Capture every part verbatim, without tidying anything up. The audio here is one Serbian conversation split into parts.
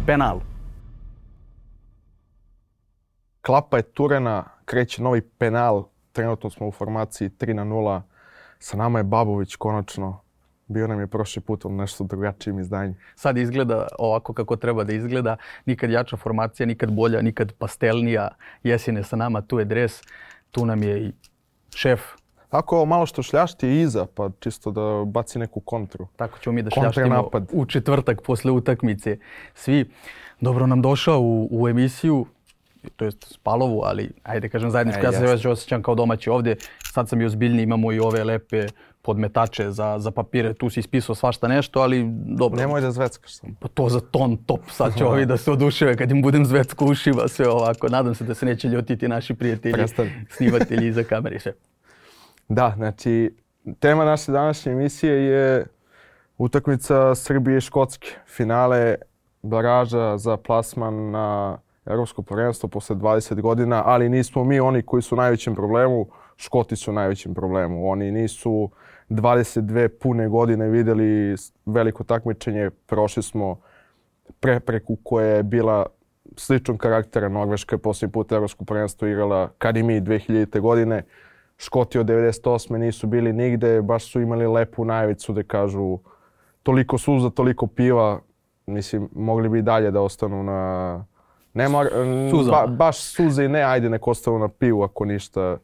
penal. Klapa je turena, kreće novi penal. Trenutno smo u formaciji tri na nula. Sa nama je Babović konačno. Bio nam je prošli put u nešto drugačijim izdanju. Sad izgleda ovako kako treba da izgleda. Nikad jača formacija, nikad bolja, nikad pastelnija. Jesin je sa nama, tu je dres, tu nam je i šef. Ako malo što šljašti je iza, pa čisto da baci neku kontru. Tako ćemo mi da šljaštimo u četvrtak posle utakmice. Svi, dobro nam došao u, u emisiju, to jest Spalovu, ali ajde kažem zajedničko. Ja se već osjećam kao domaći ovdje. Sad sam i ozbiljni, imamo i ove lepe podmetače za, za papire. Tu si ispisao svašta nešto, ali dobro. Nemoj da zveckaš sam. Pa to za ton top. Sad će ovi da se oduševe kad im budem zvecko ušiva, sve ovako. Nadam se da se neće ljutiti naši prijatelji, Prestavi. snimatelji iza kamere i sve. Da, znači, tema naše današnje emisije je utakmica Srbije i Škotske. Finale baraža za plasman na Evropsko prvenstvo posle dvadeset godina, ali nismo mi oni koji su u najvećem problemu. Škoti su u najvećem problemu. Oni nisu dvadeset dve pune godine vidjeli veliko takmičenje. Prošli smo prepreku koja je bila sličnog karaktera. Norveška je posljednji put Evropsko prvenstvo igrala kad i mi dve hiljadite. godine. Škoti od devedeset osme nisu bili nigde, baš su imali lepu najavicu da kažu toliko suza, toliko piva. Mislim, mogli bi i dalje da ostanu na... Ne mora, ba, baš suze i ne, ajde nek ostanu na pivu ako ništa,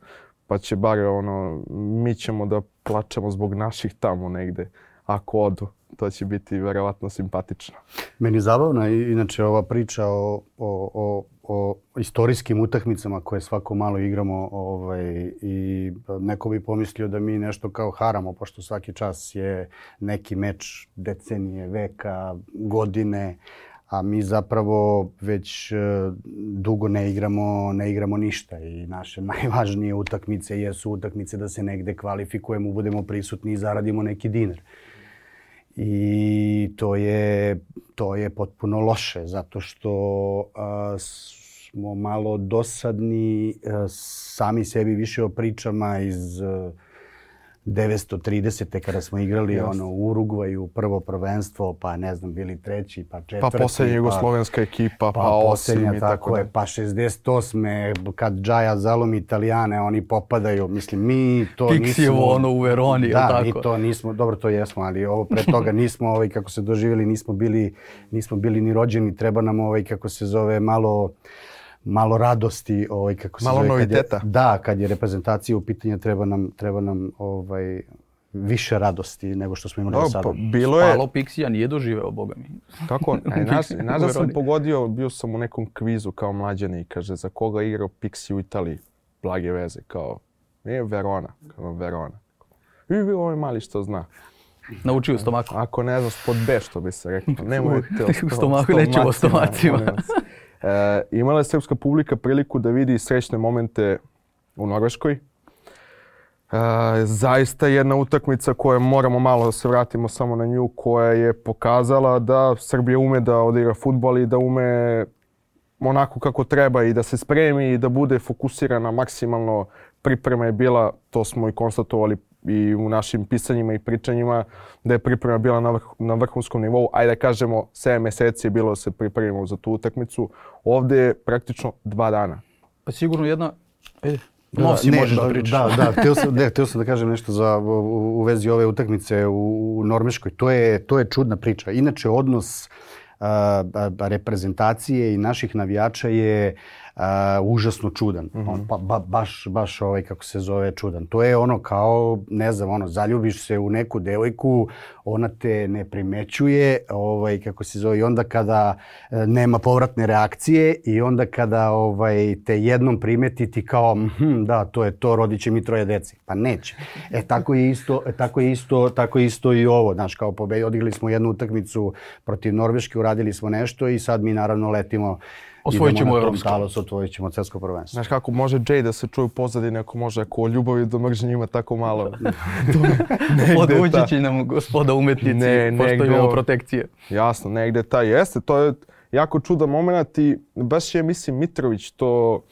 pa će bar ono, mi ćemo da plačemo zbog naših tamo negde, ako odu. To će biti verovatno simpatično. Meni je zabavna inače ova priča o, o, o, o istorijskim utakmicama koje svako malo igramo ovaj, i neko bi pomislio da mi nešto kao haramo, pošto svaki čas je neki meč decenije, veka, godine, a mi zapravo već dugo ne igramo, ne igramo ništa i naše najvažnije utakmice jesu utakmice da se negde kvalifikujemo, budemo prisutni i zaradimo neki dinar. I to je, to je potpuno loše zato što a, smo malo dosadni a, sami sebi više o pričama iz a, devetsto tridesete kada smo igrali yes. ono, u Urugvaju, prvo prvenstvo, pa ne znam, bili treći, pa četvrti. Pa posljednja jugoslovenska ekipa, pa, pa osam i tako je, pa šezdeset osme kad Džaja zalomi Italijane, oni popadaju. Mislim, mi to Pixijevo, nismo... Pixijevo ono u Veroni, da, tako? mi to nismo, dobro to jesmo, ali ovo pre toga nismo, ovaj, kako se doživjeli, nismo bili, nismo bili ni rođeni, treba nam ovaj, kako se zove, malo... malo radosti, ovaj kako se malo zove, noviteta. Kad je, da, kad je reprezentacija u pitanju, treba nam treba nam ovaj više radosti nego što smo imali do sada. Bilo je Spalo Pixija nije doživeo, boga mi. Kako? Aj nas, nas sam pogodio, bio sam u nekom kvizu kao mlađani i kaže za koga je igrao Pixi u Italiji. Blage veze kao je Verona, kao Verona. I ovaj mali što zna. Naučio stomaku. Ako ne znaš pod B što bi se rekao. Nemojte o stomaku, nećemo o stomacima. E, imala je srpska publika priliku da vidi srećne momente u Norveškoj. E, zaista jedna utakmica koja moramo malo da se vratimo samo na nju, koja je pokazala da Srbija ume da odigra fudbal i da ume onako kako treba i da se spremi i da bude fokusirana maksimalno. Priprema je bila, to smo i konstatovali i u našim pisanjima i pričanjima, da je priprema bila na, vrh, na vrhunskom nivou. Ajde da kažemo, sedam mjeseci je bilo da se pripremimo za tu utakmicu. Ovdje je praktično dva dana. Pa sigurno jedna... E, da, no, si ne, možeš da, da pričaš. Da, da, htio sam, ne, htio sam da kažem nešto za, u, u vezi ove utakmice u, u Norveškoj. To je, to je čudna priča. Inače, odnos a, a, reprezentacije i naših navijača je Uh, užasno čudan. Mm-hmm. On, pa, ba, baš, baš ovaj, kako se zove, čudan. To je ono kao, ne znam, ono, zaljubiš se u neku devojku, ona te ne primećuje, ovaj, kako se zove, i onda kada e, nema povratne reakcije i onda kada ovaj, te jednom primeti ti kao, hm, da, to je to, rodit će mi troje deci. Pa neće. E, tako je isto, tako je isto, tako je isto i ovo. Znaš, kao pobedi, odigrali smo jednu utakmicu protiv Norveške, uradili smo nešto i sad mi naravno letimo. Osvojit ćemo evropsko. Osvojit ćemo svetsko prvenstvo. Znaš kako može Jay da se čuje u pozadini, ako može, ako o ljubavi do mržnje ima tako malo. Odući će nam gospoda umetnici, ne, pošto imamo protekcije. Jasno, negdje taj jeste. To je jako čudan moment i baš je, mislim, Mitrović to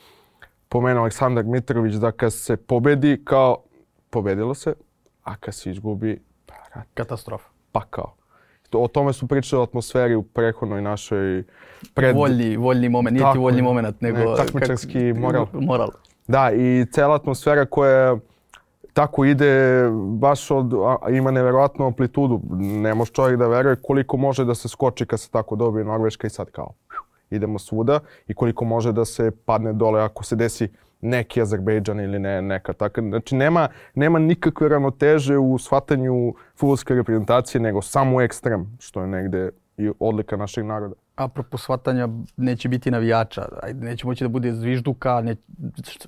pomenuo, Aleksandar Mitrović, da kad se pobedi, kao pobedilo se, a kad se izgubi, pa, katastrofa. Pa kao. o tome su pričali o atmosferi u prethodnoj našoj pred... Voljni, voljni moment, nije ti voljni moment, nego... Ne, takmičarski moral. Moral. Da, i cela atmosfera koja tako ide, baš od, ima neverovatnu amplitudu. Ne može čovjek da veruje koliko može da se skoči kad se tako dobije Norveška i sad kao idemo svuda i koliko može da se padne dole ako se desi neki Azerbejdžan ili ne, neka taka. Znači nema, nema nikakve ravnoteže u shvatanju fudbalske reprezentacije, nego samo ekstrem, što je negde i odlika našeg naroda. Apropo shvatanja, neće biti navijača, ajde, neće moći da bude zvižduka, ne,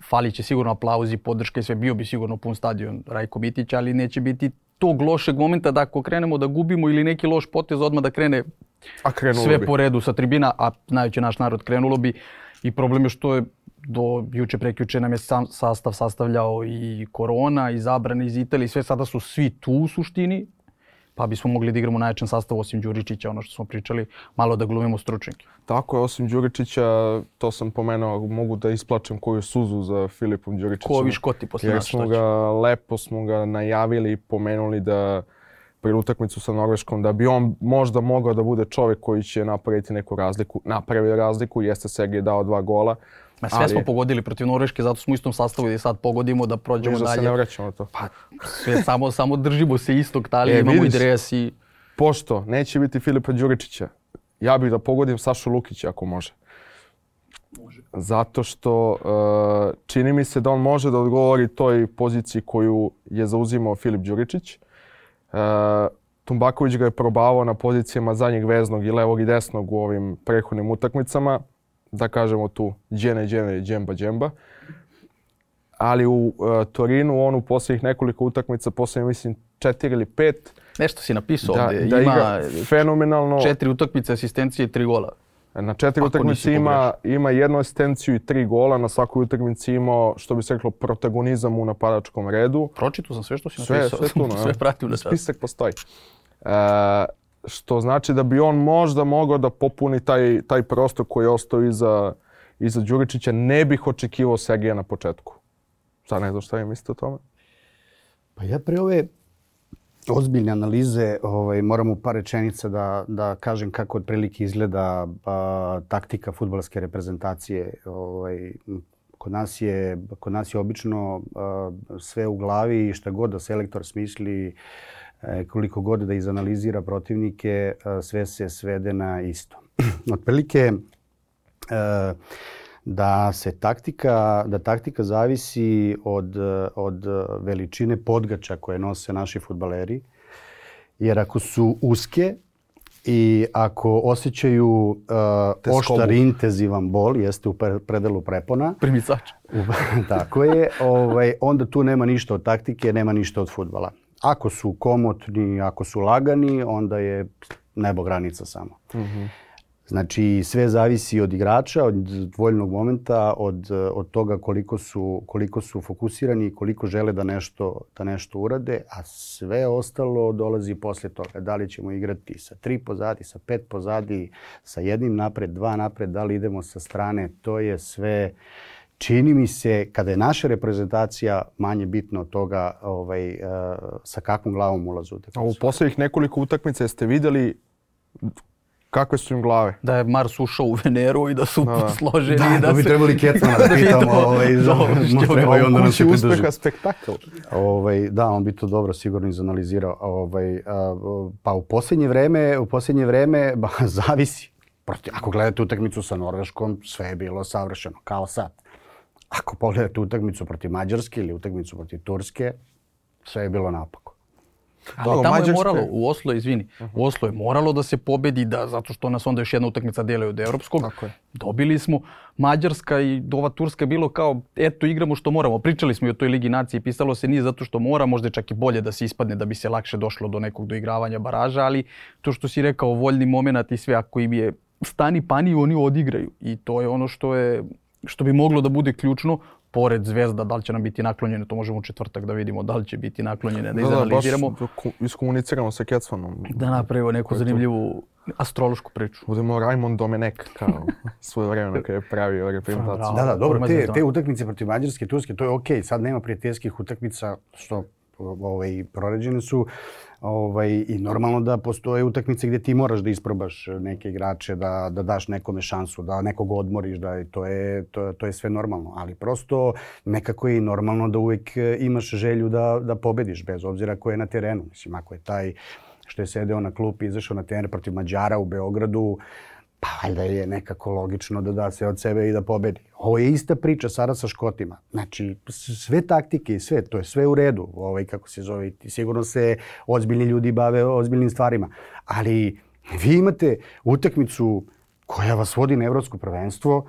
falit će sigurno aplauzi, podrška i sve, bio bi sigurno pun stadion Rajko Mitić, ali neće biti tog lošeg momenta da ako krenemo da gubimo ili neki loš potez odmah da krene sve bi po redu sa tribina, a znajući naš narod krenulo bi. I problem je što je do juče prekjuče nam je sam sastav sastavljao i korona, i zabrane iz Italije, sve sada su svi tu u suštini, pa bismo mogli da igramo najjačan sastav osim Đuričića, ono što smo pričali, malo da glumimo stručnjake. Tako je, osim Đuričića, to sam pomenuo, mogu da isplačem koju suzu za Filipom Đuričićem. Ko ovi škoti posle nas, što će? Jer smo ga, lepo smo ga najavili i pomenuli da pred utakmicu sa Norveškom, da bi on možda mogao da bude čovjek koji će napraviti neku razliku. Napravio razliku, jeste Sergej dao dva gola. Ma sve ali... smo pogodili protiv Norveške, zato smo u istom sastavu i sad pogodimo da prođemo dalje. Da se ne vraćamo to. Pa, sve, samo, samo držimo se istog talije, e, imamo vidiš, i dres i... Pošto neće biti Filipa Đuričića, ja bih da pogodim Sašu Lukića ako može. Može. Zato što uh, čini mi se da on može da odgovori toj poziciji koju je zauzimao Filip Đuričić. Uh, Tumbaković ga je probavao na pozicijama zadnjeg veznog i levog i desnog u ovim prethodnim utakmicama. Da kažemo tu džene, džene, džemba, džemba. Ali u uh, Torinu on u posljednjih nekoliko utakmica, posljednjih mislim četiri ili pet. Nešto si napisao da, ovdje. Da ima fenomenalno. Četiri utakmice, asistencije i tri gola. Na četiri utakmice ima, ima jednu asistenciju i tri gola. Na svakoj utakmici imao, što bi se reklo, protagonizam u napadačkom redu. Pročitao sam sve što si sve, napisao. Sve, sve, sve pratim da sad. Spisak postoji. Uh, što znači da bi on možda mogao da popuni taj, taj prostor koji je ostao iza, iza Đuričića. Ne bih očekivao Sergeja na početku. Sad ne znam šta vi mislite o tome. Pa ja pre ove ozbiljne analize ovaj, moram u par rečenica da, da kažem kako otprilike izgleda a, taktika fudbalske reprezentacije. Ovaj, kod nas je, kod nas je obično a, sve u glavi i šta god da selektor smisli, e, koliko god da izanalizira protivnike, a, sve se svede na isto. Otprilike e, da se taktika, da taktika zavisi od, od veličine podgača koje nose naši fudbaleri. Jer ako su uske i ako osjećaju uh, oštar intenzivan bol, jeste u predelu prepona. Primicač. Tako je. Ovaj, onda tu nema ništa od taktike, nema ništa od fudbala. Ako su komotni, ako su lagani, onda je nebo granica samo. Mm-hmm. Znači, sve zavisi od igrača, od voljnog momenta, od, od toga koliko su, koliko su fokusirani i koliko žele da nešto, da nešto urade, a sve ostalo dolazi posle toga. Da li ćemo igrati sa tri pozadi, sa pet pozadi, sa jednim napred, dva napred, da li idemo sa strane, to je sve... Čini mi se, kada je naša reprezentacija, manje bitno od toga ovaj, uh, sa kakvom glavom ulazu. A u posljednjih nekoliko utakmica ste vidjeli kakve su im glave? Da je Mars ušao u Veneru i da su da. složeni. Da, da, da bi se... trebali Kecmana da pitamo. ovaj, treba i onda nam se pridruži. Uspeha spektakl. Ovaj, da, on bi to dobro sigurno izanalizirao. Ovaj, a, pa u posljednje vreme, u posljednje vreme ba, zavisi. Prosti, ako gledate utakmicu sa Norveškom, sve je bilo savršeno, kao sad. Ako pogledate utakmicu protiv Mađarske ili utakmicu protiv Turske, sve je bilo naopako. Ali tamo Mađarske... je moralo, u Oslo, izvini, uh-huh. u Oslo je moralo da se pobedi, da, zato što nas onda još jedna utakmica delaju od evropskog. Tako je. Dobili smo. Mađarska i ova Turska bilo kao, eto, igramo što moramo. Pričali smo i o toj Ligi nacije, pisalo se nije zato što mora, možda je čak i bolje da se ispadne da bi se lakše došlo do nekog doigravanja baraža, ali to što si rekao, voljni moment i sve, ako im je stani pani, oni odigraju. I to je ono što je, što bi moglo da bude ključno. Pored Zvezda, da li će nam biti naklonjene, to možemo u četvrtak da vidimo da li će biti naklonjene, da izanaliziramo. Da, baš iskomuniciramo sa Kecmanom. Da napravimo neku zanimljivu astrološku priču. Budemo Raymond Domenech, kao svoje vremena kada je pravio reprezentaciju. Da, da, dobro, te, te utakmice protiv Mađarske, Turske, to je okej. Okay. Sad nema prijateljskih utakmica što ovaj, proređene su. Ovaj, I normalno da postoje utakmice gdje ti moraš da isprobaš neke igrače, da, da daš nekome šansu, da nekog odmoriš, da to je, to, to je sve normalno. Ali prosto nekako je normalno da uvijek imaš želju da, da pobediš, bez obzira ko je na terenu. Mislim, ako je taj što je sedeo na klupi, izašao na teren protiv Mađara u Beogradu, pa valjda je nekako logično da da sve od sebe i da pobedi. Ovo je ista priča sada sa Škotima. Znači, sve taktike i sve, to je sve u redu. Ovaj, kako se zove, sigurno se ozbiljni ljudi bave ozbiljnim stvarima. Ali vi imate utakmicu koja vas vodi na evropsko prvenstvo,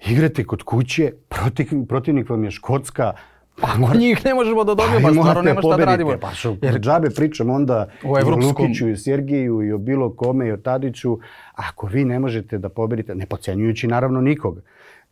igrate kod kuće, protiv, protivnik vam je Škotska. Pa ako njih ne možemo da dobijemo, pa stvarno nema šta da radimo. Pa što jer džabe pričam onda o evropskom... Lukiću i Sergiju i o bilo kome i o Tadiću. Ako vi ne možete da pobedite, ne podcenjujući naravno nikog,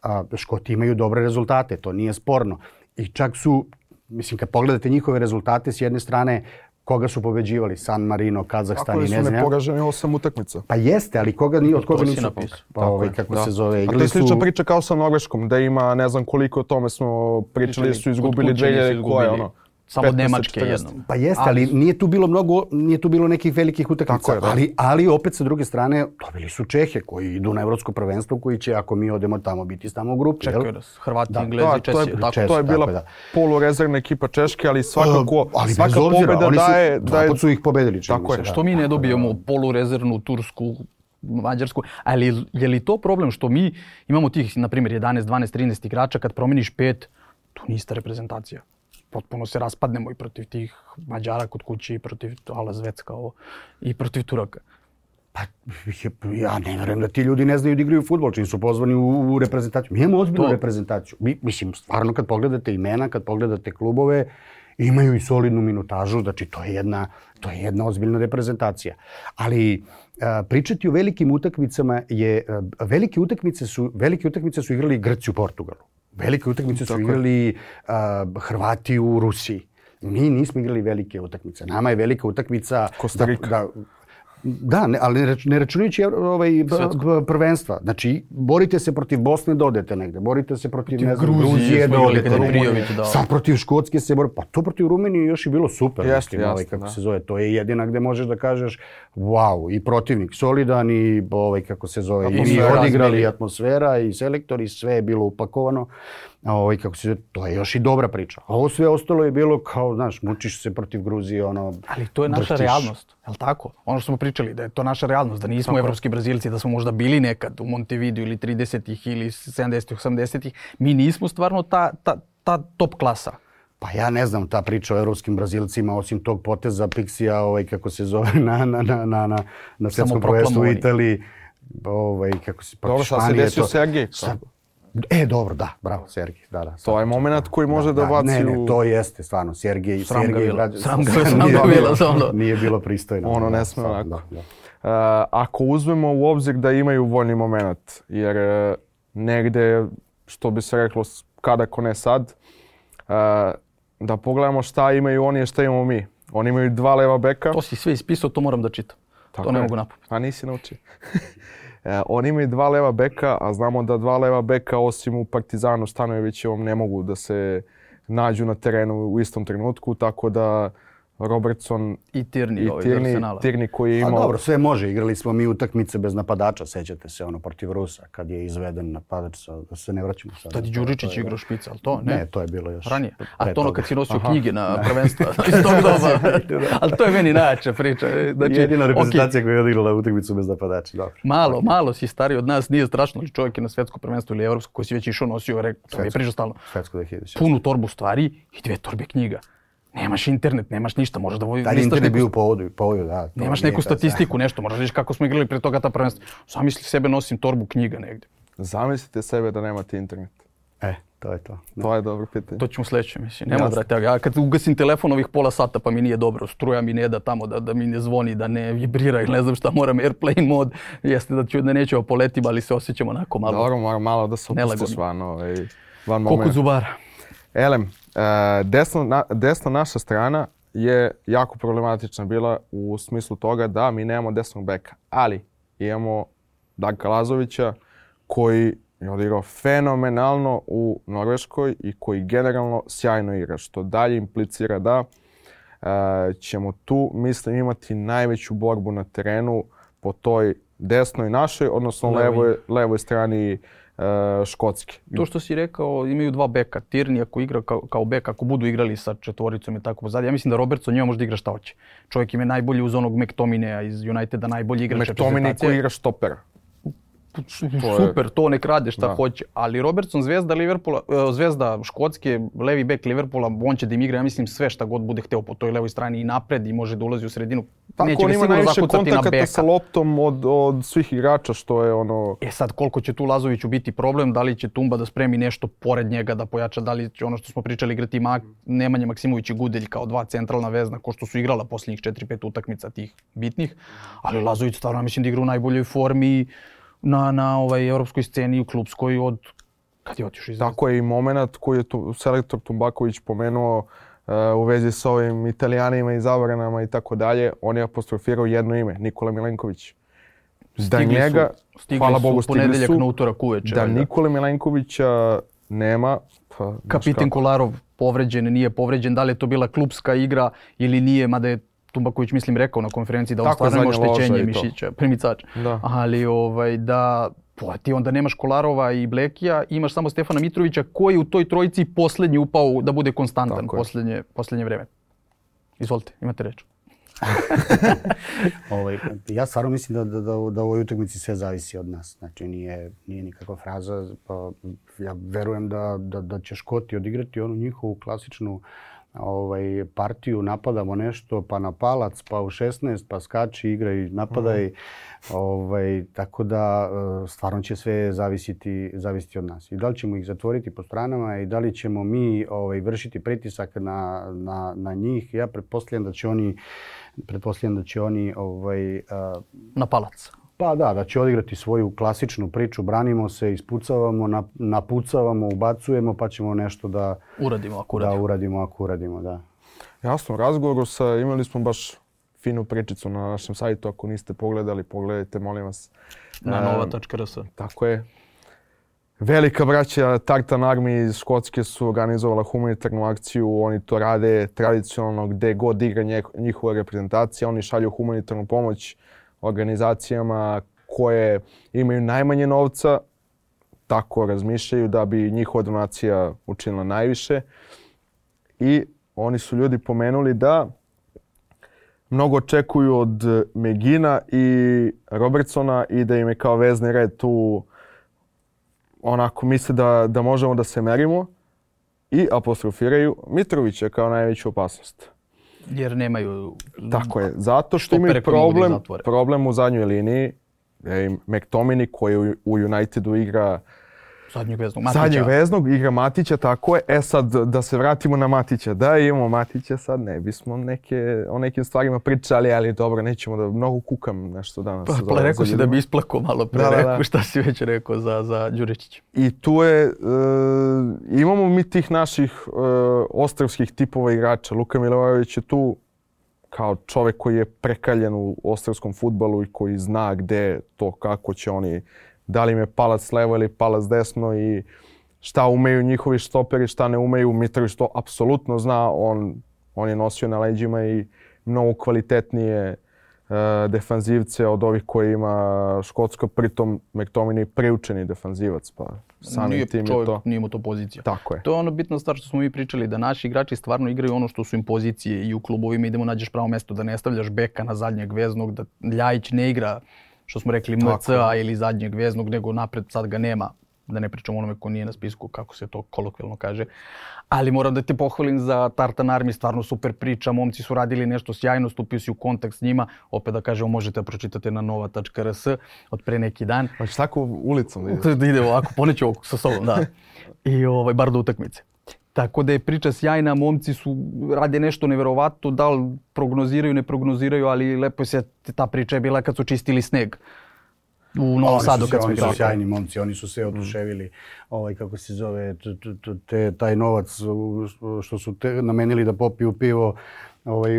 a, Škoti imaju dobre rezultate, to nije sporno. I čak su, mislim, kad pogledate njihove rezultate, s jedne strane, koga su pobeđivali? San Marino, Kazahstan i ne znam. Ako su neporaženi osam utakmica. Pa jeste, ali koga ni od koga nisu pokazali. Pa ovaj, kako da. se zove. A to je slična priča kao sa Norveškom, da ima, ne znam koliko o tome smo pričali, su izgubili dve hiljade koje, ono. Samo od Nemačke jednom. Pa jeste, ali nije tu bilo mnogo, nije tu bilo nekih velikih utakmica. Ali, ali opet sa druge strane, dobili su Čehe koji idu na evropsko prvenstvo, koji će, ako mi odemo tamo, biti tamo u grupi. Čekaju nas, Hrvati, Englezi, Česi. To je bila polurezervna ekipa Češke, ali svakako, svaka pobjeda daje... Dva put su ih pobedili. Tako je. Što mi ne dobijemo polurezervnu Tursku, Mađarsku, ali je li to problem što mi imamo tih, na primjer, jedanaest, dvanaest, trinaest igrača, kad promeniš pet, to nije ista reprezentacija. Potpuno se raspadnemo i protiv tih Mađara kod kuće i protiv Ala Zvecka i protiv Turaka. Pa ja ne vjerujem da ti ljudi ne znaju da igraju fudbal, čim su pozvani u, u reprezentaciju. Mi imamo ozbiljnu to... reprezentaciju. Mi, mislim, stvarno kad pogledate imena, kad pogledate klubove, imaju i solidnu minutažu, znači to je jedna, to je jedna ozbiljna reprezentacija. Ali a, pričati o velikim utakmicama je, a, velike utakmice su, velike utakmice su igrali Grci u Portugalu. Velike utakmice su igrali uh, Hrvati u Rusiji. Mi nismo igrali velike utakmice. Nama je velika utakmica... Kostarika. Da, da ne, ali ne računajući ovaj, prvenstva. Znači, borite se protiv Bosne da odete negde. Borite se protiv, protiv ne znam, Gruzije da odete negde. Sad protiv Škotske se borite. Pa to protiv Rumenije još je bilo super. Jasne, mislim, jasne, ovaj, kako da. se zove. To je jedina gde možeš da kažeš wow, i protivnik solidan i ovaj, kako se zove. I mi odigrali atmosfera i selektori, sve je bilo upakovano. Ovaj, kako se, to je još i dobra priča. A ovo sve ostalo je bilo kao, znaš, mučiš se protiv Gruzije, ono... Ali to je naša drhtiš. Realnost, je li tako? Ono što smo pričali, da je to naša realnost, da nismo tako. Evropski Brazilci, da smo možda bili nekad u Montevideo ili tridesetih ili sedamdesetih, osamdesetih. Mi nismo stvarno ta, ta, ta top klasa. Pa ja ne znam, ta priča o evropskim Brazilcima, osim tog poteza Pixija, ovaj, kako se zove, na, na, na, na, na, na svjetskom prvenstvu u Italiji. Ovaj, kako se, dobro, šta se desio Sergej? E, dobro, da, bravo, Sergej. Da, da, to je moment koji može da, da baci ne, u... Ne, to jeste, stvarno, Sergej... Sram Sergej, ga bilo, sram ga bilo, sram ga Nije bilo pristojno. Ono ne sme onako. Da, da. Uh, ako uzmemo u obzir da imaju voljni moment, jer uh, negde, što bi se reklo, kada ko ne sad, uh, da pogledamo šta imaju oni i šta imamo mi. Oni imaju dva leva beka. To si sve ispisao, to moram da čitam. Tako to ne je. Mogu napraviti. A nisi naučio. E, oni imaju dva leva beka, a znamo da dva leva beka osim u Partizanu Stanojevićevom ne mogu da se nađu na terenu u istom trenutku, tako da Robertson i Tierney, i ovaj Tierney, Tierney koji je imao... A dobro, sve može. Igrali smo mi utakmice bez napadača, sećate se, ono, protiv Rusa, kad je izveden napadač, da se ne vraćamo sad. Tad je Đuričić igrao špica, ali to ne? Ne, to je bilo još... Ranije. A to ono kad si nosio Aha. knjige na prvenstva iz tog doba. Ali to je meni najjača priča. Znači, jedina reprezentacija okay. koja je odigrala utakmicu bez napadača. Dobro. Malo, okay. malo si stariji od nas, nije strašno, ali čovjek je na svetsko prvenstvo ili evropsko koji si već išao nosio, rekao, je pričao stalno. Punu torbu stvari i dvije torbe knjiga. Nemaš internet, nemaš ništa, možeš da voliš... Taj internet je bio u povodu, povodu, da. Nemaš neku statistiku, nešto, možeš reći kako smo igrali pre toga ta prvenstva. Zamisli sebe, nosim torbu knjiga negdje. Zamislite sebe da nemate internet. E, to je to. Ne. To je dobro pitanje. To ćemo sledeće, mislim. Nema, brate, ja kad ugasim telefon ovih pola sata pa mi nije dobro, struja mi ne da tamo, da, da mi ne zvoni, da ne vibrira ili ne znam šta, moram airplane mod, jeste da, ću, da nećemo poletim, ali se osjećamo onako malo... Dobro, moram malo da se opusti stvarno. Van Koliko zubara. Elem, desno, na, desna naša strana je jako problematična bila u smislu toga da mi nemamo desnog beka, ali imamo Darka Lazovića koji je odigrao fenomenalno u Norveškoj i koji generalno sjajno igra, što dalje implicira da ćemo tu, mislim, imati najveću borbu na terenu po toj desnoj našoj, odnosno levoj, levoj strani uh, Škotske. To što si rekao, imaju dva beka. Tierney ako igra kao, kao bek, ako budu igrali sa četvoricom i tako pozadnje, ja mislim da Robertson njima može da igra šta hoće. Čovjek im je najbolji uz onog McTominaya iz Uniteda, najbolji igrač reprezentacije. McTominay koji igra štopera. Super, to nek rade šta da. hoće, ali Robertson, zvezda Liverpoola, zvezda Škotske, levi bek Liverpoola, on će da im igra, ja mislim, sve šta god bude hteo po toj levoj strani i napred i može da ulazi u sredinu. Tako, neće on ima najviše kontakata sa loptom od, od svih igrača, što je ono... E sad, koliko će tu Lazoviću biti problem, da li će Tumba da spremi nešto pored njega, da pojača, da li će ono što smo pričali igrati Mak, Nemanja Maksimović i Gudelj kao dva centralna vezna, ko što su igrala posljednjih četiri pet utakmica tih bitnih, ali Lazović stvarno mislim da igra u najboljoj formi na, na ovaj evropskoj sceni u klubskoj od kad je otišao iz Zvezde. Tako je i moment koji je tu selektor Tumbaković pomenuo uh, u vezi s ovim Italijanima i zabranama i tako dalje. On je apostrofirao jedno ime, Nikola Milenković. Da stigli njega, su, hvala Bogu, stigli ponedeljak su, na utorak uveče. Da Nikole Milenkovića nema. Pa, kapitan Kolarov povređen, nije povređen. Da li je to bila klubska igra ili nije, mada je Tumbaković, mislim, rekao na konferenciji da on stvarno ima oštećenje mišića, primicač. Da. Ali ovaj, da pa, ti onda nemaš Kolarova i Blekija, imaš samo Stefana Mitrovića koji u toj trojici posljednji upao da bude konstantan posljednje, posljednje vreme. Izvolite, imate reč. ovaj, ja stvarno mislim da, da, da, da u ovoj utakmici sve zavisi od nas. Znači nije, nije nikakva fraza. Pa, ja verujem da, da, da će Škoti odigrati onu njihovu klasičnu ovaj, partiju, napadamo nešto, pa na palac, pa u šesnaest, pa skači, igra i napadaj. Mm. Ovaj, tako da stvarno će sve zavisiti, zavisiti od nas. I da li ćemo ih zatvoriti po stranama i da li ćemo mi ovaj, vršiti pritisak na, na, na njih. Ja pretpostavljam da će oni, pretpostavljam da će oni ovaj, a, na palac. Pa da, da će odigrati svoju klasičnu priču, branimo se, ispucavamo, napucavamo, ubacujemo, pa ćemo nešto da uradimo ako uradimo. Da uradimo ako uradimo, da. Jasno, u razgovoru sa, imali smo baš finu pričicu na našem sajtu, ako niste pogledali, pogledajte, molim vas. Na nova tačka r s. Tako je. Velika braća Tartan Army iz Škotske su organizovala humanitarnu akciju, oni to rade tradicionalno gde god igra njihova reprezentacija, oni šalju humanitarnu pomoć organizacijama koje imaju najmanje novca, tako razmišljaju da bi njihova donacija učinila najviše. I oni su ljudi pomenuli da mnogo očekuju od Megina i Robertsona i da im je kao vezni red tu onako misle da, da možemo da se merimo i apostrofiraju Mitrovića kao najveću opasnost. Jer nemaju... Tako je, zato što imaju problem, problem u zadnjoj liniji. McTominay koji u Unitedu igra zadnjeg veznog, Matića. Zadnjeg veznog, igra Matića, tako je. E sad, da se vratimo na Matića. Da, imamo Matića sad, ne bismo neke, o nekim stvarima pričali, ali dobro, nećemo da mnogo kukam nešto danas. Pa, pa rekao si da bi isplakao malo pre, da, rekao da, da. Šta si već rekao za, za Đuričića. I tu je, uh, imamo mi tih naših uh, ostrvskih tipova igrača. Luka Milivojević je tu kao čovjek koji je prekaljen u ostrvskom fudbalu i koji zna gde to, kako će oni, da li im je palac levo ili palac desno i šta umeju njihovi štoperi, šta ne umeju. Mitrović to apsolutno zna, on, on je nosio na leđima i mnogo kvalitetnije uh, defanzivce od ovih koji ima Škotska, pritom McTominay priučeni defanzivac, pa samim tim je to. Nije mu to pozicija. Tako je. To je ono bitna stvar što smo mi pričali, da naši igrači stvarno igraju ono što su im pozicije i u klubovima idemo nađeš pravo mjesto, da ne stavljaš beka na zadnjeg veznog, da Ljajić ne igra što smo rekli M C A ili zadnjeg veznog, nego napred sad ga nema, da ne pričamo onome ko nije na spisku, kako se to kolokvijalno kaže. Ali moram da te pohvalim za Tartan Army, stvarno super priča, momci su radili nešto sjajno, stupio si u kontakt s njima, opet da kažemo možete da pročitate na nova tačka r s od pre neki dan. Hoćeš tako ulicom da ide? Da ide ovako, poneću ovako sa sobom, da. I ovaj, bar do utakmice. Tako da je priča sjajna, momci su rade nešto neverovatno, da li prognoziraju, ne prognoziraju, ali lepo se ta priča je bila kad su čistili sneg u Novom Sadu kad smo igrali. Oni su sjajni momci, oni su se oduševili, ovaj, kako se zove, te, taj novac što su te, namenili da popiju pivo, ovaj,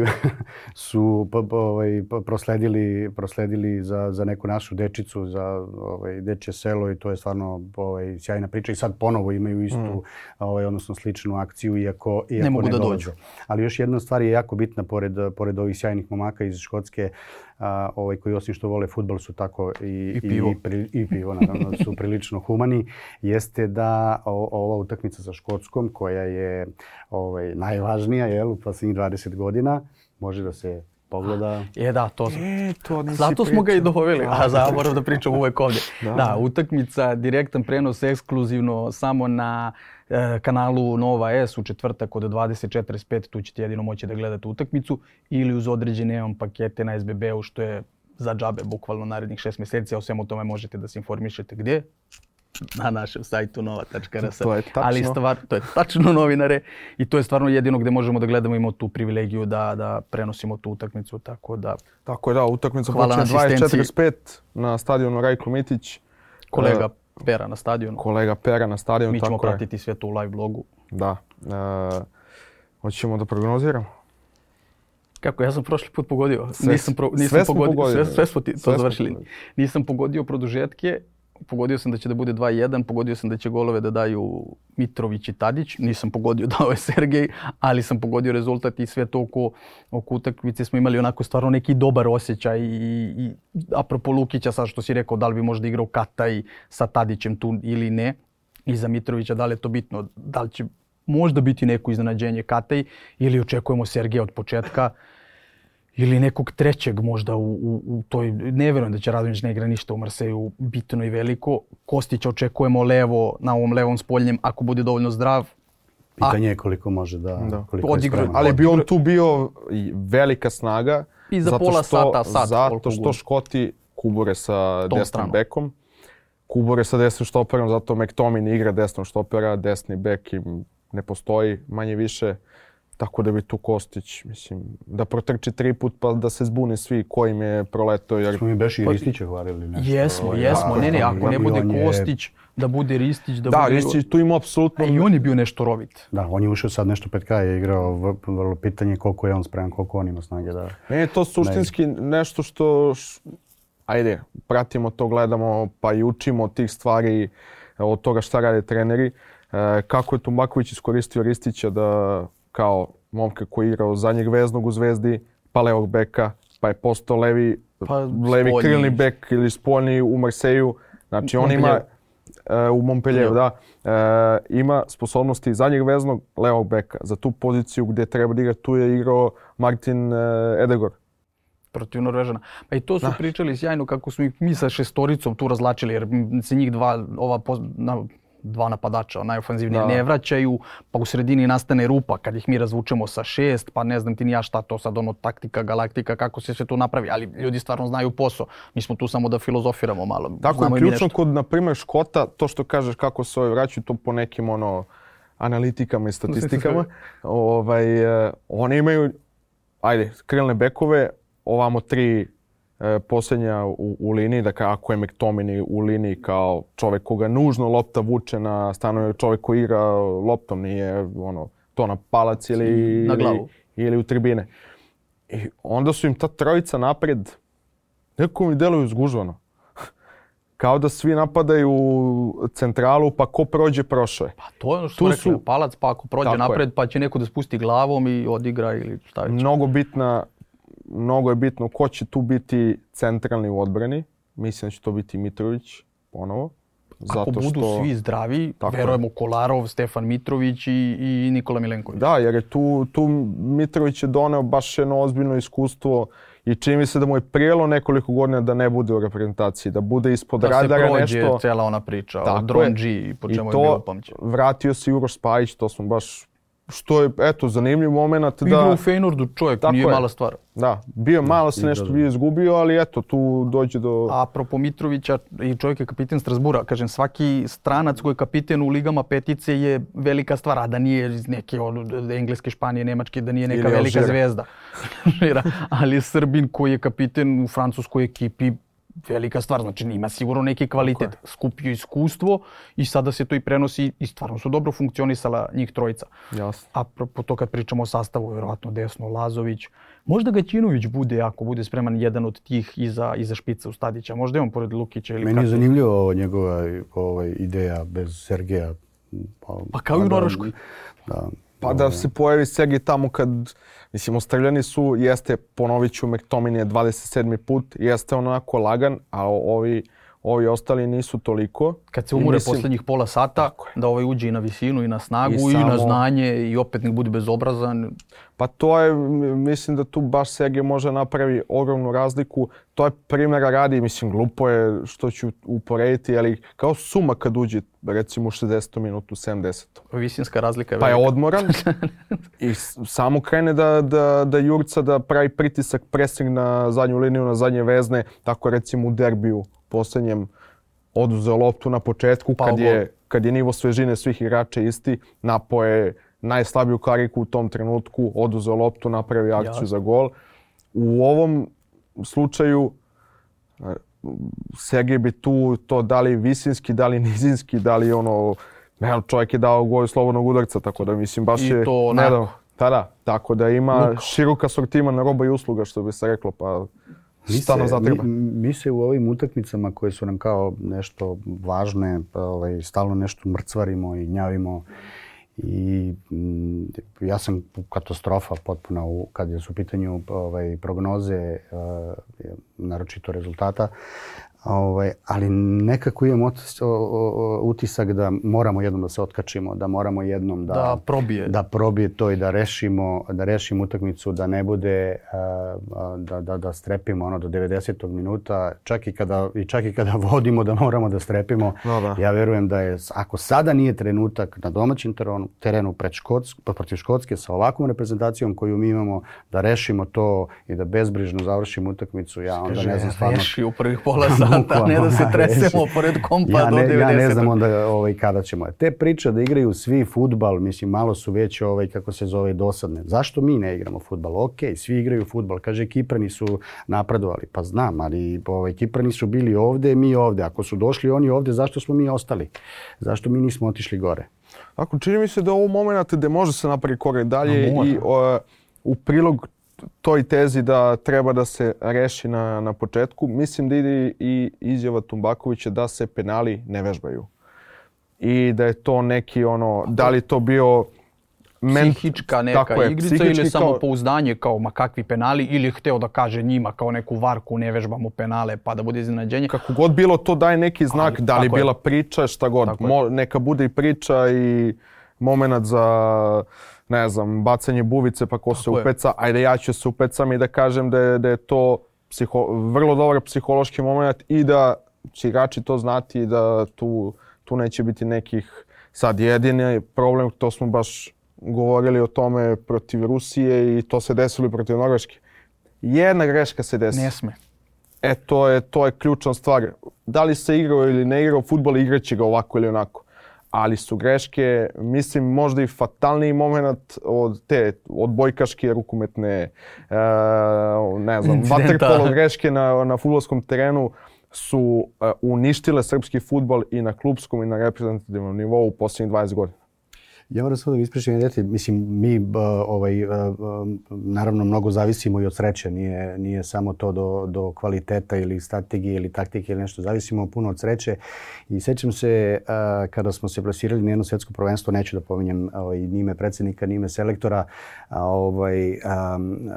su ovaj, prosledili, prosledili za, za neku našu dečicu, za ovaj, dečje selo i to je stvarno ovaj, sjajna priča. I sad ponovo imaju istu, mm. ovaj, odnosno sličnu akciju, iako, iako ne mogu ne da dolaze. dođu. Ali još jedna stvar je jako bitna, pored, pored ovih sjajnih momaka iz Škotske, a, ovaj, koji osim što vole fudbal su tako i, I pivo, i, pri, i pivo naravno, su prilično humani, jeste da o, ova utakmica sa Škotskom, koja je ovaj, najvažnija jel, u posljednjih dvadeset godina, može da se pogleda. Je da, to, e, to zato smo ga i doveli, a zaborav da pričam uvek ovdje. Da. da, utakmica, direktan prenos ekskluzivno samo na e, kanalu Nova S u četvrtak od dvadeset četrdeset pet, tu ćete jedino moći da gledate utakmicu ili uz određene on pakete na S B B-u što je za džabe bukvalno narednih šest mjeseci, a o svemu tome možete da se informišete gdje? Na našem sajtu nova tačka r s. To je tačno. Ali stvar, to je tačno novinare i to je stvarno jedino gdje možemo da gledamo, imamo tu privilegiju da, da prenosimo tu utakmicu, tako da... Tako je, da, utakmica počne dvadeset četrdeset pet na stadionu Rajko Mitić. Kolega Pera na stadionu. Kolega Pera na stadionu, Mi ćemo tako pratiti sve to u live blogu. Da. E, hoćemo da prognoziramo? Kako, ja sam prošli put pogodio. Sve, nisam pro, nisam sve pogodio, pogodili. Sve, sve smo ti to sve završili. Pogodili. Nisam pogodio produžetke. Pogodio sam da će da bude dva jedan, pogodio sam da će golove da daju Mitrović i Tadić, nisam pogodio dao je Sergej, ali sam pogodio rezultat i sve to oko, oko utakmice smo imali onako stvarno neki dobar osjećaj i, i apropo Lukića, sad što si rekao da li bi možda igrao Kataj sa Tadićem tu ili ne, i za Mitrovića da li je to bitno, da li će možda biti neko iznenađenje Kataj ili očekujemo Sergeja od početka. Ili nekog trećeg možda u, u, u toj, ne vjerujem da će Radonjić ne igra ništa u Marseju bitno i veliko. Kostića očekujemo levo, na ovom levom spoljnjem ako bude dovoljno zdrav. Pitanje je koliko može da, da. koliko je spreman. Ali bi on tu bio velika snaga. I za zato pola što, sata, sat. Zato što Škoti kubure sa Tom desnim stranu. bekom. Kubure sa desnim štoperom, zato McTominay igra desnom štopera, desni bek im ne postoji manje više. Tako da bi tu Kostić, mislim, da protrči tri put pa da se zbuni svi kojim je proletao. Jer... Smo mi Beši i Ristića hvalili nešto. Jesmo, jesmo. Ne, ne, ako ne bude Kostić, da bude Ristić, da, da bude... Da, Ristić tu ima apsolutno... I on je bio nešto rovit. Da, on je ušao sad nešto pet ka, je igrao vrlo pitanje koliko je on spreman, koliko on ima snage da... Ne, je to suštinski ne. nešto što... Š... Ajde, pratimo to, gledamo pa i učimo od tih stvari, od toga šta rade treneri. E, kako je Tumbaković iskoristio Ristića da... kao momka koji je igrao zadnjeg veznog u Zvezdi, pa levog beka, pa je postao levi, pa levi spoljni. krilni bek ili spoljni u Marseju. Znači on ima uh, u Montpellieru, da, uh, ima sposobnosti zadnjeg veznog levog beka. Za tu poziciju gdje treba da igra, tu je igrao Martin uh, Edegor. Protiv Norvežana. Pa i to su da. pričali sjajno kako smo ih mi sa šestoricom tu razlačili, jer se njih dva, ova na, dva napadača, najofanzivnije, ne vraćaju, pa u sredini nastane rupa kad ih mi razvučemo sa šest, pa ne znam ti ni ja šta to sad ono taktika, galaktika, kako se sve to napravi, ali ljudi stvarno znaju posao. Mi smo tu samo da filozofiramo malo. Tako je ključno kod, na primjer, Škota, to što kažeš kako se ovi vraćaju, to po nekim ono analitikama i statistikama. ovaj, oni imaju, ajde, krilne bekove, ovamo tri e, posljednja u, u liniji, dakle ako je McTominay u liniji kao čovjek koga nužno lopta vuče na stanu, čovjek koji igra loptom, nije ono, to na palac ili, na glavu. ili, ili u tribine. I onda su im ta trojica napred, nekako mi deluju zgužvano. Kao da svi napadaju centralu, pa ko prođe, prošao je. Pa to je ono što smo rekli, su... palac, pa ako prođe napred, je. Pa će neko da spusti glavom i odigra ili šta već. Mnogo bitna, mnogo je bitno ko će tu biti centralni u odbrani. Mislim da će to biti Mitrović ponovo. Zato ako budu što... svi zdravi, verujemo Kolarov, Stefan Mitrović i, i Nikola Milenković. Da, jer je tu, tu Mitrović je doneo baš jedno ozbiljno iskustvo i čini mi se da mu je prijelo nekoliko godina da ne bude u reprezentaciji, da bude ispod da radara nešto. Da se prođe cijela ona priča o Dronđi, po čemu je bilo upamćeno. Vratio se Uroš Spajić, to smo baš, što je, eto, zanimljiv moment. Da, igra u Feyenoordu čovjek, nije je. mala stvar. Da, bio malo se nešto bio izgubio, ali eto, tu dođe do... Apropo Mitrovića, i čovjek je kapiten Strasbura, kažem, svaki stranac koji je kapiten u ligama petice je velika stvar, a da nije iz neke od Engleske, Španije, Nemačke, da nije neka velika zvezda. Ali Srbin koji je kapiten u francuskoj ekipi, velika stvar. Znači ima sigurno neki kvalitet, okay. Skupio iskustvo i sada se to i prenosi i stvarno su dobro funkcionisala njih trojica. Jasno. A po to kad pričamo o sastavu, vjerojatno desno Lazović, možda Gaćinović bude, ako bude spreman, jedan od tih iza, iza špica u Stadića. Možda je on pored Lukića ili... Meni je zanimljivo ovo njegova ovaj, ideja bez Sergeja. Pa, pa kao i u Norveškoj. Da, pa da se pojavi Sergej tamo kad, mislim, Australijani su, jeste, ponovit ću, McTominay je dvadeset sedmi put, jeste onako lagan, a ovi, ovi ostali nisu toliko. Kad se umure mislim, posljednjih pola sata, da ovaj uđe i na visinu i na snagu i, i samo, na znanje i opet nek bude bezobrazan. Pa to je, mislim da tu baš Sergej može napravi ogromnu razliku. To je primjera radi, mislim, glupo je što ću uporediti, ali kao Suma kad uđe, recimo u šezdesetom minutu, sedamdesetom Visinska razlika je pa je odmoran i samo krene da, da, da jurca, da pravi pritisak, pressing na zadnju liniju, na zadnje vezne, tako recimo u derbiju posljednjem oduzeo loptu na početku, kad je, kad je nivo svežine svih igrača isti, napao je najslabiju kariku u tom trenutku, oduzeo loptu, napravio akciju ja. za gol. U ovom slučaju Sergej bi tu to da li visinski, da li nizinski, da li ono, ne, čovjek je dao gol slobodnog udarca, tako da mislim baš je... I to onako. Da, da, tako da ima Luk. širok asortiman roba i usluga, što bi se reklo, pa šta nam zatreba. Mi, mi se u ovim utakmicama koje su nam kao nešto važne, pa, ovaj, stalno nešto mrcvarimo i gnjavimo. I m, ja sam katastrofa potpuna u, kad je su u pitanju ovaj, prognoze, uh, naročito rezultata. Ovaj, ali nekako imam otis, o, o, utisak da moramo jednom da se otkačimo, da moramo jednom da, da, probije. da probije to i da rešimo, da rešimo utakmicu, da ne bude, uh, da, da, da strepimo ono do devedesetog minuta, čak i kada, i čak i kada vodimo da moramo da strepimo. No, da. Ja verujem da je, ako sada nije trenutak na domaćem terenu, terenu pred Škotsk, protiv Škotske sa ovakvom reprezentacijom koju mi imamo, da rešimo to i da bezbrižno završimo utakmicu, ja onda Kaže, ne znam stvarno... reši u prvih pola sata. Ne da se tresemo pored kompa ja do ne, devedesetog Ja ne znam onda ovaj, kada ćemo. Te priče da igraju svi fudbal, mislim, malo su već ovaj, kako se zove, dosadne. Zašto mi ne igramo fudbal? Ok, svi igraju fudbal. Kaže, Kiprani su napredovali. Pa znam, ali ovaj, Kiprani su bili ovde, mi ovde. Ako su došli oni ovde, zašto smo mi ostali? Zašto mi nismo otišli gore? Ako čini mi se da u momentu gde može se napraviti korak dalje i o, u prilog toj tezi da treba da se reši na, na početku, mislim da ide i izjava Tumbakovića da se penali ne vežbaju. I da je to neki ono, da li to bio psihička neka je, igrica ili samo kao... pouzdanje kao ma kakvi penali ili je hteo da kaže njima kao neku varku ne vežbamo penale pa da bude iznenađenje. Kako god bilo to daje neki znak, ali, da li bila je. priča, šta god. Mo, neka bude i priča i moment za... ne znam, bacanje buvice pa ko Tako se upeca, je. ajde ja ću se upecam i da kažem da je, da je to psiho, vrlo dobar psihološki moment i da će igrači to znati i da tu, tu neće biti nekih sad jedini problem, to smo baš govorili o tome protiv Rusije i to se desilo protiv Norveške. Jedna greška se desi. Ne sme. E, to je, to je ključna stvar. Da li se igrao ili ne igrao fudbal, igraće ga ovako ili onako. Ali su greške, mislim, možda i fatalniji moment od te odbojkaške, rukometne, e, ne znam, vaterpolo greške na, na fudbalskom terenu su e, uništile srpski fudbal i na klupskom i na reprezentativnom nivou u posljednjih dvadeset godina. Ja moram samo da ispričam jedeti, mislim, mi uh, ovaj, uh, naravno mnogo zavisimo i od sreće, nije, nije samo to do, do kvaliteta ili strategije ili taktike ili nešto, zavisimo puno od sreće. I sjećam se uh, kada smo se plasirali na jedno svjetsko prvenstvo, neću da pominjem ovaj, ni ime predsjednika, ni ime selektora, a, ovaj, um,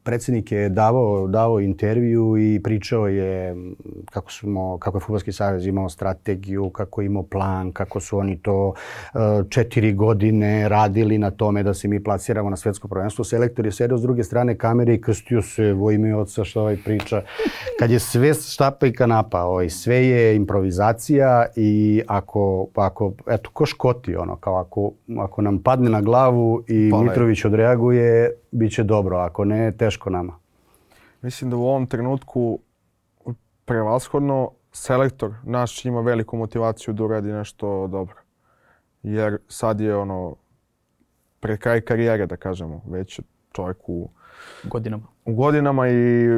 predsjednik je davao, davao intervju i pričao je kako, smo, kako je Fudbalski savez imao strategiju, kako je imao plan, kako su oni to uh, četiri godine godine radili na tome da se mi plasiramo na svjetsko prvenstvo. Selektor je sedeo s druge strane kamere i krstio se vo ime oca što ovaj priča. Kad je sve štapa i kanapa, ovaj, sve je improvizacija i ako, ako eto, ko Škoti, ono, kao ako, ako nam padne na glavu i pa, Mitrović odreaguje, bit će dobro. Ako ne, teško nama. Mislim da u ovom trenutku prevashodno selektor naš ima veliku motivaciju da uradi nešto dobro. Jer sad je ono pred kraj karijere, da kažemo, već čovjek u godinama. U godinama i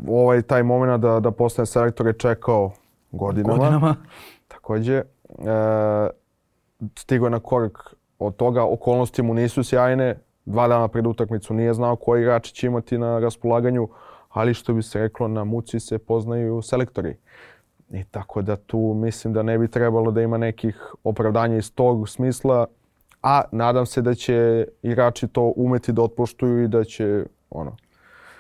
ovaj taj moment da, da postane selektor je čekao godinama. Godinama. Također, e, stigao je na korak od toga, okolnosti mu nisu sjajne, dva dana pred utakmicu nije znao koji igrači će imati na raspolaganju, ali što bi se reklo, na muci se poznaju selektori. I tako da tu mislim da ne bi trebalo da ima nekih opravdanja iz tog smisla, a nadam se da će igrači to umeti da otpoštuju i da će ono,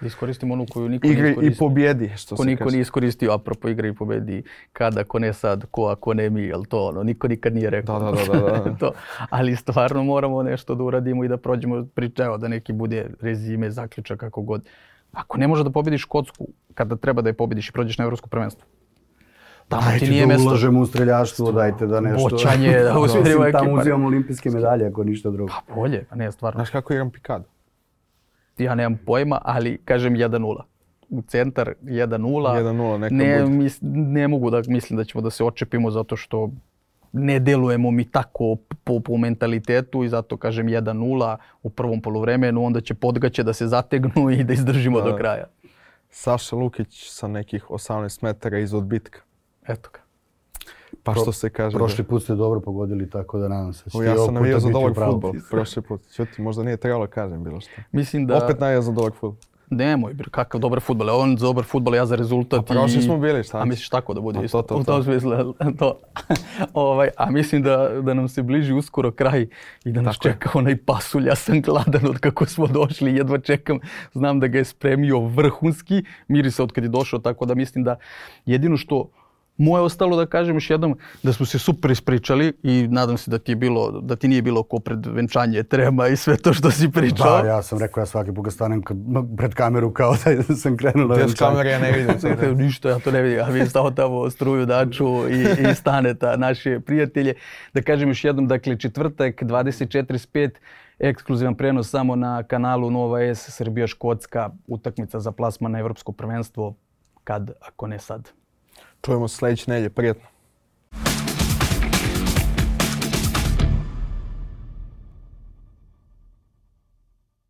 iskoristimo onu koju niko igri nije iskoristio. I pobjedi, što ko se niko kaže. nije iskoristio, apropo igre i pobjedi, kad, ako ne sad, ko, ako ne mi, jel to ono, niko nikad nije rekao. Da, da, da, da. to. Ali stvarno moramo nešto da uradimo i da prođemo priča, evo, da neki bude rezime, zaključak, kako god. Ako ne može da pobjediš Škotsku, kada treba da je pobjediš i prođeš na Evropsko prvenstvo. Tamo dajte ti nije da mesto. ulažemo u streljaštvo, dajte da nešto... Boćanje, da usmjerimo ekipa. Tamo uzimamo olimpijske medalje, ako ništa drugo. Pa bolje, pa ne, stvarno. Znaš kako igram pikadu? Ja nemam pojma, ali kažem jedan nula. U centar jedan nula. jedan nula neka ne, bude. mis, ne mogu da mislim da ćemo da se očepimo zato što ne delujemo mi tako po, po mentalitetu i zato kažem jedan nula u prvom poluvremenu, onda će Podgaće da se zategnu i da izdržimo da. do kraja. Saša Lukić sa nekih osamnaest metara iz odbitka. Eto ga. Pa što se kaže... Prošli put ste dobro pogodili, tako da nadam se. O, ja sam navijao za dobar fudbal prošli put. Čuti, možda nije trebalo kažem bilo što. Mislim da... Opet navijao za dobar fudbal. Nemoj, kakav dobar fudbal. On za dobar fudbal, ja za rezultat. A prošli i... smo bili, šta? A misliš tako da bude a, isto? To, to, to. U tom smislu, to. ovaj, a mislim da, da nam se bliži uskoro kraj i da nas tako čeka je. Onaj pasulj. Ja sam gladan od kako smo došli, jedva čekam. Znam da ga je spremio vrhunski. Miri se od kad je došao, tako da mislim da jedino što moje ostalo da kažem još jednom da smo se super ispričali i nadam se da ti je bilo, da ti nije bilo ko pred venčanje trema i sve to što si pričao. Da, ja sam rekao ja svaki put stanem pred kameru kao da sam krenuo na venčanje. Kamere ja ne vidim. Ništa, ja to ne vidim. A vi stao tamo struju daču i, i staneta naše prijatelje. Da kažem još jednom, dakle četvrtak dvadeset četrdeset pet ekskluzivan prenos samo na kanalu Nova S Srbija Škotska, utakmica za plasman na Evropsko prvenstvo, kad, ako ne sad. Čujemo se sljedeće nedjelje, prijetno.